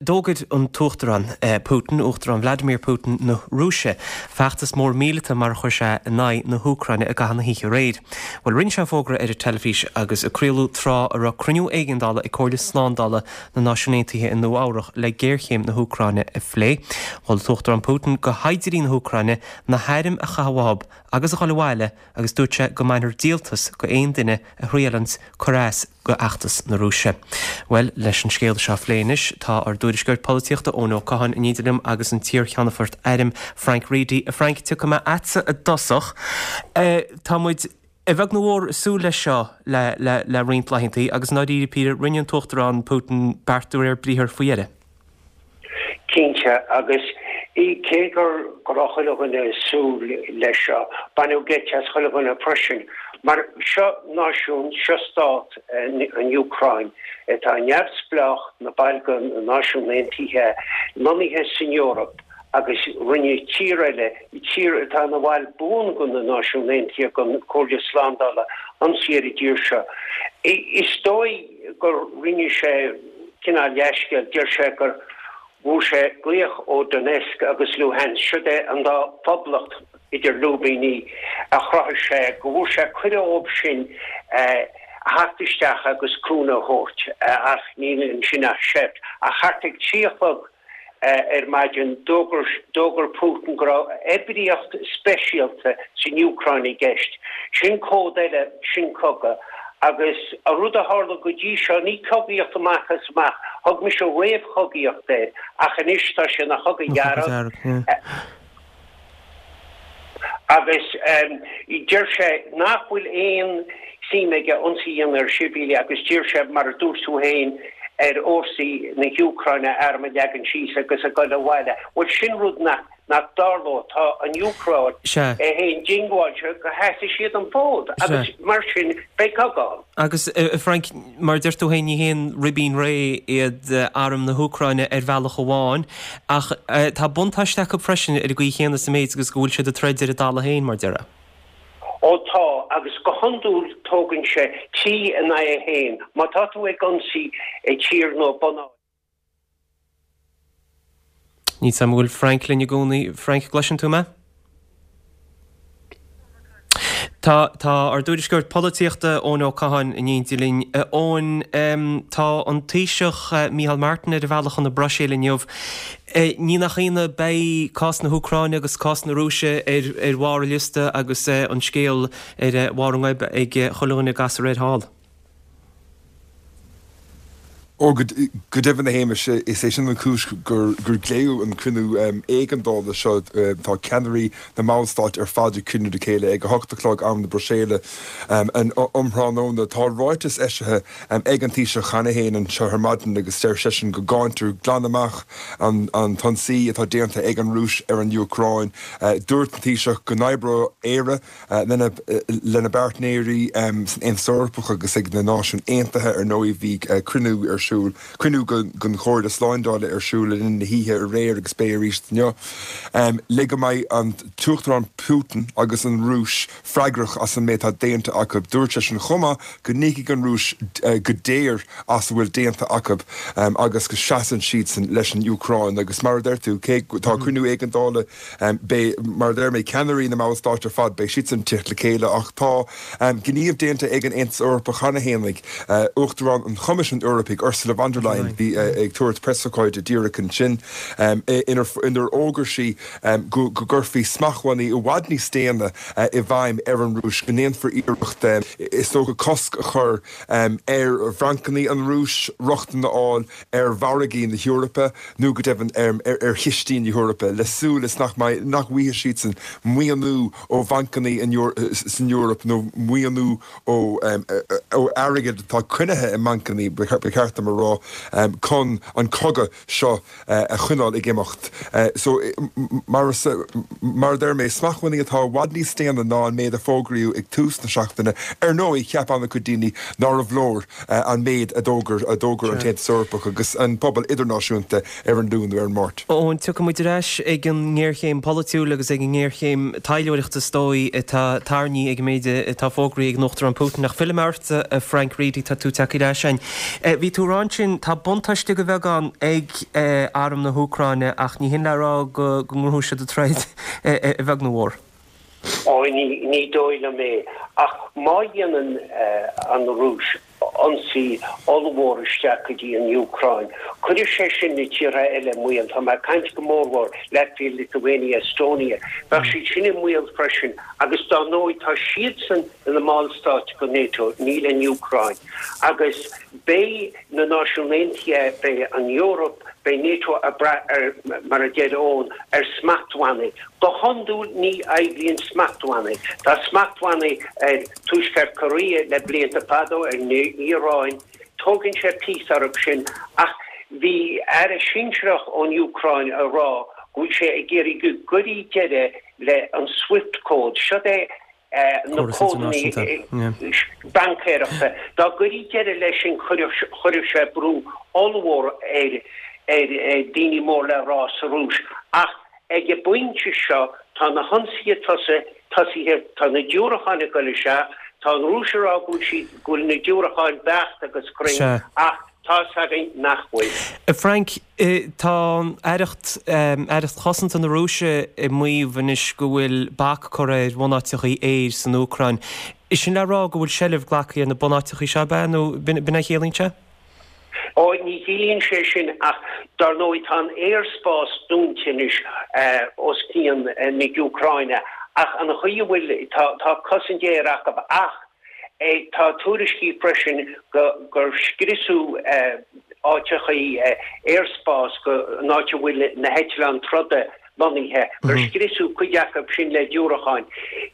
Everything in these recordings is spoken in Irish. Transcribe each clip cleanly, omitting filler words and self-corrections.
D'fhógair an tUachtarán Putin, Uachtarán Vladimir Putin na Rúise, feachtas mór míleata mar a chuir sé in aghaidh na hÚcráine i gcaitheamh na hoíche aréir. Bhuel, rinne sé an fógra ar an teilifís agus a craoladh tráth a raibh cruinniú éigeandála ag Comhairle Slándála na Náisiún Aontaithe i Nua Eabhrach le géarchéim na hÚcráine a phlé. Mhol an tUachtarán Putin do shaighdiúirí na hÚcráine na hairm a chaitheamh uathu agus a dhul abhaile agus dúirt sé go mbainfear díoltas go aon duine a thriaileanns cur as go fheachtas na Rúise. Bhuel, leis an scéal seo a phlé anois, tá ár dtuairisceoir polaitíochta Eoin Ó Catháin in éindí liom agus an t-iar-cheannfort airm Frank Reidy. A Frank, tiocfaidh mé a'dsa i dtosach. Tá muid, a bheag nó a mhór, ag súil leis seo le, le, le roinnt laethantaí agus i ndáiríre píre, rinne an tUachtarán Putin beart de réir briathair faoi dheireadh. Cinnte, agus cé go raibh chuile dhuine ag súil leis seo, baineadh geit as chuile dhuine freisin, mar seo náisiún, seo stát, an Úcráin, atá neamhspleách, ina baill de na Náisiúin Aontaithe, lonnaithe san Eoraip, agus rinne tír eile, tír atá ina bhall buan de na Náisiúin Aontaithe, den Chomhairle Slándála, ionsaí ar an dtír seo. Is dóigh gur rinne sé cineál leathscéal, deir sé gur bhfuair sé glaoch ó Donetsk agus Luhansk, siod é an dá phoblacht idir lúibíní a chruthaigh sé, go bhfuair sé cuireadh óib sin a theacht isteach agus cúnamh a thabhairt, ach níl ansin ach seift. Ach thart ag 3 a chlog ar maidin, d'fhógair Putin go raibh oibríocht speisialta san Úcráin i gceist. Sin cód eile, sin cogadh. Agus an rud a tharla go dtí seo, ní cogaíocht amach is amach, thug mise réamhchogaíocht air, ach anois tá sé ina chogadh dhearg. Agus deir sé nach bhfuil aon suim aige ionsaí a dhéanamh ar shibhialaigh agus d'iarr sé, mar a dúirt tú féin, ar fhórsaí na hÚcráine a airm a leagan síos agus a ghoil abhaile. Bhuel, sin rud nach dtarlóidh. Tá an Úcráin é féin diongbháilte go seasfaidh siad an fód agus mar sin beidh cogadh ann. Agus, a Frank, mar a deir tú féin, ní haon ribín réidh iad arm na hÚcráine ar bhealach amháin, ach tá buntáiste acu freisin ar an gcaoi chéanna sa méid agus go bhfuil siad ag troid ar a dtalamh féin, mar déarfá. Ó tá, agus go hiondúil tógann sé 3 in aghaidh 1 má tá tú ag ionsaí tír nó bunáit. Níl 's a'm an bhfuil Frank linn i gcónaí. Frank, gcloiseann tú mé? Tá, tá ár dtuairisceoir polaitíochta, Eoin Ó Catháin, in éindí linn. A Eoin, tá an Taoiseach Micheál Martin ar a bhealach chun na Bruiséile inniu. Ní nach ionadh, beidh cás na hÚcráine agus cás na Rúise ar ar bharr an liosta agus an scéal ar bharr a ngoib ag chuile dhuine ag gasradh air thall. Ó, go deimhin, a Shéamais, is é sin an chúis gur glaodh an cruinniú éigeandála seo. Tá ceannairí na mballstát ar fad ag cruinniú le chéile ag 8 a chlog, am na Bruiséile, um thráthnóna. Tá ráiteas eisithe ag an Taoiseach cheana féin anseo ar maidin agus deir seisean go gcáintear glan amach an t-ionsaí atá déanta ag an Rúis ar an Úcráin. Dúirt an Taoiseach go n-oibreoidh Éire lena bpáirtnéirí san Aontas Eorpach agus ag na Náisiúin Aontaithe, ar ndóigh. Bhí cruinniú ar siúl, cruinniú den Chomhairle Slándála ar siúl le linn na hoíche aréir agus beidh arís inniu, le go mbeidh an tUachtarán Putin agus an Rúis freagrach as an méid atá déanta acu. Dúirt seisean chomh maith go n-íocfaidh an Rúis go daor as a bhfuil déanta acu agus go seasann siadsan leis an Úcráin. Agus mar a deir tú, cé tá cruinniú éigeandála Beidh, mar a deir mé, ceannairí na mballstát ar fad, beidh siadsan ag teacht le chéile ach tá gníomh déanta ag an Aontas Eorpach cheana féin, Uachtarán an Choimisiúin Eorpaigh, Ursula von der Leyen, bhí ag tabhairt preasócáide díreach ansin inar fhógair sí go gcuirfí smachtbhannaí i bhfad níos déine i bhfeidhm ar an Rúis, go ndéanfar iarracht, is dócha, cosc a chur ar bhancanna an Rúis rochtain a fháil ar mhargaí na hEorpa nó go deimhin ar chistí na hEorpa, le súil is nach mbeidh, nach bhfaighidh siadsan maoiniú ó bhancanna san Eoraip nó maoiniú ó airgead atá coinnithe i mbancanna, ba cheart dom a rá, chun an cogadh seo a choinneáil ag imeacht. So, mar a deir mé, smachtbhannaí atá i bhfad níos déine ná an méid a fógraíodh ag tús na seachtaine. Ar ndóigh, cheap an-chuid daoine nárbh leor an méid a d'fhógair a d'fhógair an tAontas Eorpach agus an pobal idirnáisiúnta ar an Luan nó ar an Máirt. Eoin, tiocfaidh muid ar ais ag an ngéarchéim pholaitiúil agus ag an ngéarchéim taidhleoireachta is dóigh atá tarraingthe ag an méid atá fógraithe ag an Uachtarán Putin. Ach fillfidh mé ortsa, a Frank Reidy, tá tú tagtha ar ais againn. Bhí tú ag rá. rá ansin, tá buntáiste de bheagán ag arm na hÚcráine ach ní hin le rá go ngnóthóidh siad an troid a bheag nó a mhór. Ó, ní dóigh liom é. Ach má dhéanann an Rúis ionsaí ollmhór isteach go dtí an Úcráin, cuirfidh sé sin na tíortha eile i mbaol. Tá mé ag caint go mórmhór Latvia, Lithuania, Estonia. Bheadh siad sin i mbaol freisin agus dár ndóigh tá siadsan ina mballstáit de NATO, níl an Úcráin. Agus beidh na Náisiúin Aontaithe, beidh an Eoraip, beidh NATO ag brath ar, mar a deir Eoin, ar smachtbhannaí. Go hiondúil ní oibríonn smachtbhannaí. Tá smachtbhannaí ar Tuaisceart Korea le blianta fada, ar an Iaráin. Tógann sé píosa orthu sin. Ach bhí aire sinsearach ón Úcráin ag rá go bhfuil sé ag iarraidh go gcuirí deireadh le an Swift code. Seo é na códanna baincéireachta. Dá gcuirí deireadh leis sin chuirfeadh sé brú ollmhór ar daoine mór le rá sa Rúis. Ach ag an bpointe seo tá na hionsaithe tosaithe, tá na diúracáin ag dul isteach, tá an Rúis ag rá go bhfuil siad, go bhfuil na diúracáin beacht agus cruinn ach tá 's againn nach bhfuil. A Frank, tá an Aireacht, Aireacht Chosanta na Rúise ag maíomh anois go bhfuil bac curtha ar bhunáiteachaí aeir san Úcráin. É sin le rá go bhfuil seilbh glactha ar na bunáiteachaí seo, ab ea? Nó b'in a chiallaíonn sé? Ó, ní chiallaíonn sé sin ach dar ndóigh tá an aerspás dúnta anois os cionn na hÚcráine ach an chaoi a bhfuil, tá, tá cosaint aeir acu ach tá tuairiscí freisin gur scriosadh áiteachaí aerspás, an áit a bhfuil na heitleáin troda lonnaithe, gur scriosadh cuid acu sin le diúracáin.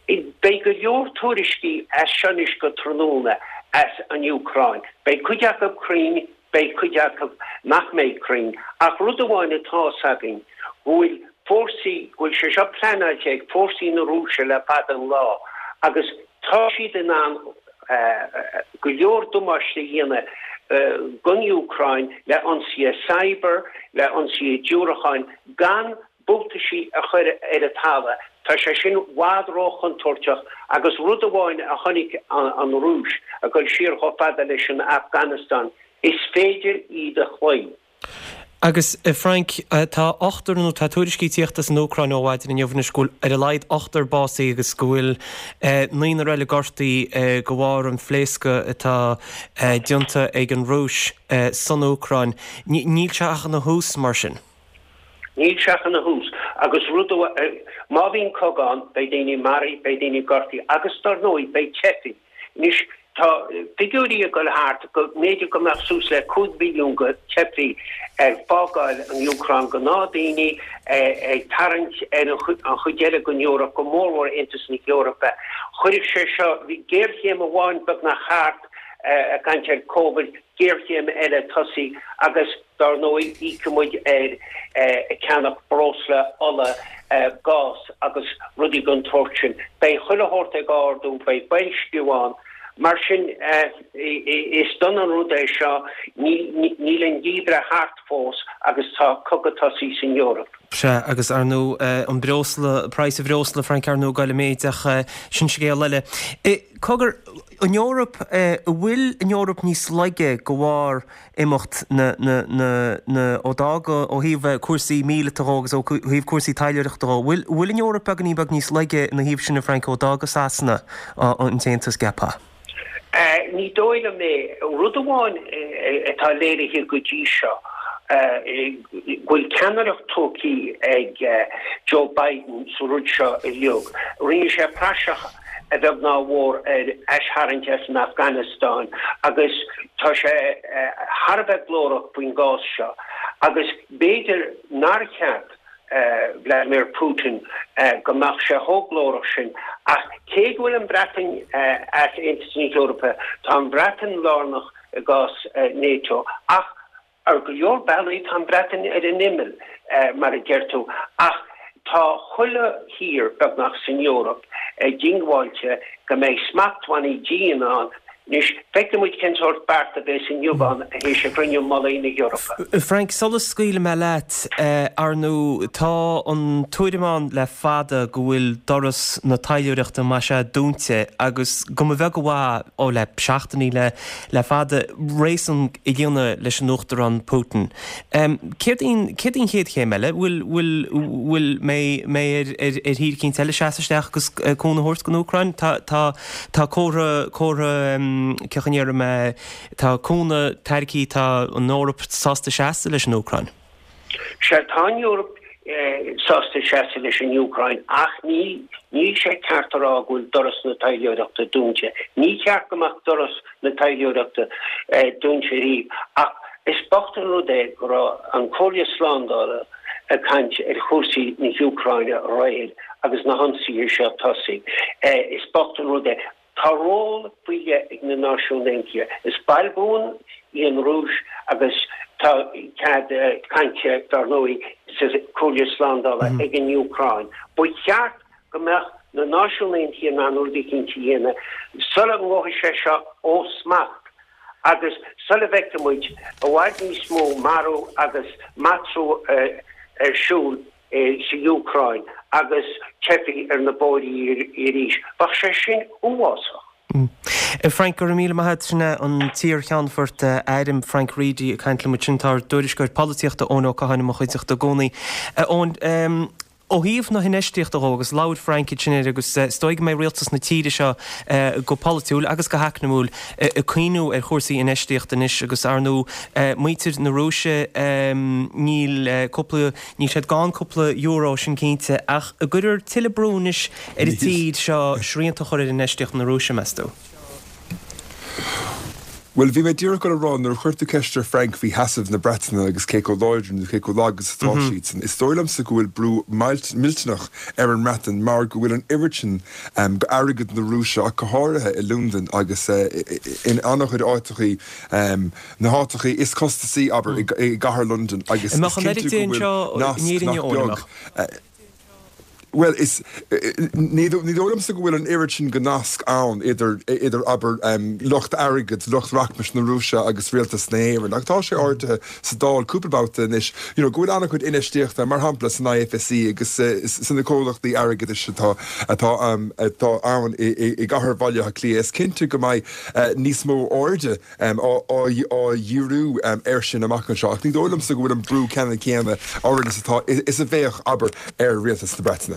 Beidh go leor tuairiscí as seo anois go tráthnóna as an Úcráin. Beidh cuid acu cruinn, beidh cuid acu nach mbeidh cruinn. Ach rud amháin atá's againn, go bhfuil fórsaí, go bhfuil sé seo pleanáilte ag fórsaí na Rúise le fada an lá agus tá siad in ann go leor damáiste a dhéanamh don Úcráin le ionsaithe cyber, le ionsaithe diúracáin, gan buataisí a chur ar an talamh. Tá sé sin i bhfad róchontúirteach agus rud amháin a chonaic an Rúis, ag dul siar chomh fada leis an Afganastáin, is féidir iad a chloí. Agus, a Frank, tá ochtar, nó tá tuairiscí ag tíocht as an Úcráin ó mhaidin inniu anois go bhfuil ar a laghad ochtar básaithe agus go bhfuil naonúr eile gortaithe de bharr an phléascadh atá déanta ag an Rúis san Úcráin. Níl sé ach ina thús, mar sin. Níl sé ach ina thús. Agus rud amháin, má bhíonn cogadh ann, beidh daoine maraithe, beidh daoine gortaithe agus, dar ndóigh, beidh teifigh. Anois, tá figiúirí ag dul thart go mb'fhéidir go mbeadh suas le 5 mhilliún de theifigh ag fágáil an Úcráin, gnáthdaoine ag tarraingt ar an chuid eile den Eoraip, go mórmhór Aontas na hEorpa. Chuirfeadh sé seo, bhí géarchéim amháin beagnach thart, ag caint ar Covid, géarchéim eile tosaithe agus, Dar ndóigh, íocfaidh muid ar cheannach breosla, ola, gás agus rudaí den tsórt sin. Beidh chuile shórt ag ardú, beidh boilsciú ann. Mar sin, is dona an rud é seo. Níl an geimhreadh thart fós agus tá cogadh tosaithe san Eoraip. Sea, agus ar ndóigh, an breosla, praghas an bhreosla, Frank, ar ndóigh, ag dul i méid ach sin scéal eile. Cogar, an Eoraip, an bhfuil an Eoraip níos laige de bharr imeacht na, na, na, na, ó d'fhág, ó thaobh cúrsaí míleata dhó agus ó thaobh cúrsaí taidhleoireachta dhó. Bhfuil, bhfuil an Eoraip beagáinín beag níos laige ina thaobh sin, a Frank, ó d'fhága Sasana an tAontas, gceapfá? Ní dóigh liom é. Rud amháin atá léirithe go dtí seo, go bhfuil ceannaireacht tógtha ag Joe Biden sa rud seo uilig. Rinne sé praiseach a bheag ná a mhór ar aistharraingt as an Afganastáin agus tá sé thar a bheith glórach faoin gcás seo agus b'fhéidir nár cheap Vladimir Putin go mbeadh sé chomh glórach sin ach cé go bhfuil an Bhreatain as Aontas na hEorpa, tá an Bhreatain lárnach i gcás NATO ach Ar go leor bealaí tá an Bhreatain ar an imeall, mar a deir tú, ach tá chuile thír, beagnach, san Eoraip diongbháilte go mbeidh smachtbhannaí dian ann. Anois, feicfidh muid cén sórt beart a bheas inniu ann théis a gcruinniú mullaigh na hEorpa. Frank, sula scaoilfidh mé leat, ar ndóigh, tá an tuairim ann le fada go bhfuil doras na taidhleoireachta, más ea, dúnta agus go mba bheag a mhaith, ó le seachtainí le le fada, réasún a dhéanamh leis an Uachtarán Putin. Céard í an, céard í an chéad chéim eile? Bhfuil, bhfuil, bhfuil, mbeidh, mbeidh ar, ar, ar thír eicínt eile seasamh isteach agus cúnamh a thabhairt don Úcráin? Tá, tá, tá comhartha, comhartha, cén chaoi a ndéarfaidh mé, tá cúnamh tairgthe, tá an Eoraip sásta seasamh leis an Úcráin. Sea, tá an Eoraip sásta seasamh leis an Úcráin ach ní, níl sé ceart a rá go bhfuil doras na taidhleoireachta dúnta. Ní cheart go mbeadh doras na taidhleoireachta dúnta riamh ach is bocht an rud é go raibh an Chomhairle Slándála ag caint ar chúrsaí na hÚcráine aréir agus na hionsaithe seo tosaithe. Is bocht an rud é. Tá ról faoi leith ag na Náisiúin Aontaithe. Is ball buan í an Rúis agus tá cead cainte, dar ndóigh, sa Chomhairle Slándála ag an Úcráin. Ba cheart go mbeadh na Náisiúin Aontaithe in ann rud eicínt a dhéanamh sula ngabhfaidh sé seo ó smacht agus sula bhfeicfidh muid i bhfad níos mó marú agus matrú ar siúl. sa Úcráin agus teifigh ar na bóithrí arís. Bheadh sé sin uafásach. Frank, go raibh míle maith agat. Sin é an t-iar-cheannfort airm Frank Reidy ag caint liom ansin. Tá ár dtuairisceoir polaitíochta Eoin Ó Catháin i mo chuideachta i gcónaí. A Eoin, ó thaobh na hinfheistíochta dhó, agus labhair Frank ansin air agus is dóigh go mbeidh rialtas na tíre seo go polaitiúil agus go heacnamúil ag cuimhniú ar chúrsaí infheistíochta anois agus ar ndóigh muintir na Rúise níl cúpla Níl siad gann cúpla euro, sin cinnte, ach an gcuirfear tuilleadh brú anois ar an tír seo srianta a chur ar infheistíocht na Rúise, meas tú? Bhuel, bhí mé díreach ag dul a rá, nuair a chuir tú ceist ar Frank faoi sheasamh na Breataine agus cé chomh láidir nó cé chomh lag is atá siadsan, is dóigh liomsa go bhfuil brú millteanach ar an mBreatain mar go bhfuil an oiread sin d'airgead na Rúise, ach go háirithe i Londain agus in an-chuid áiteachaí, na háiteachaí is costasaí, abair, i gcathair Londain agus is cinnte go bhfuil nasc nach beag, bhuel, is, ní dóigh liomsa go bhfuil an oiread sin de nasc ann idir, idir, abair, lucht airgid, lucht rachmais na Rúise agus rialtas na hÉireann. Ach tá sé ardaithe sa Dáil cúpla babhta anois, you know, go bhfuil an-chuid infheistíochta, mar shampla, san IFSC agus sna comhlachtaí airgeadais atá, atá, atá ann i gcathair Bhaile Átha Cliath. Is cinnte go mbeidh níos mó airde á dhíriú air sin amach anseo, ach ní dóigh liomsa go bhfuil an brú ceannann céanna orainn is atá, is a bheadh, abair, ar rialtas na Breataine.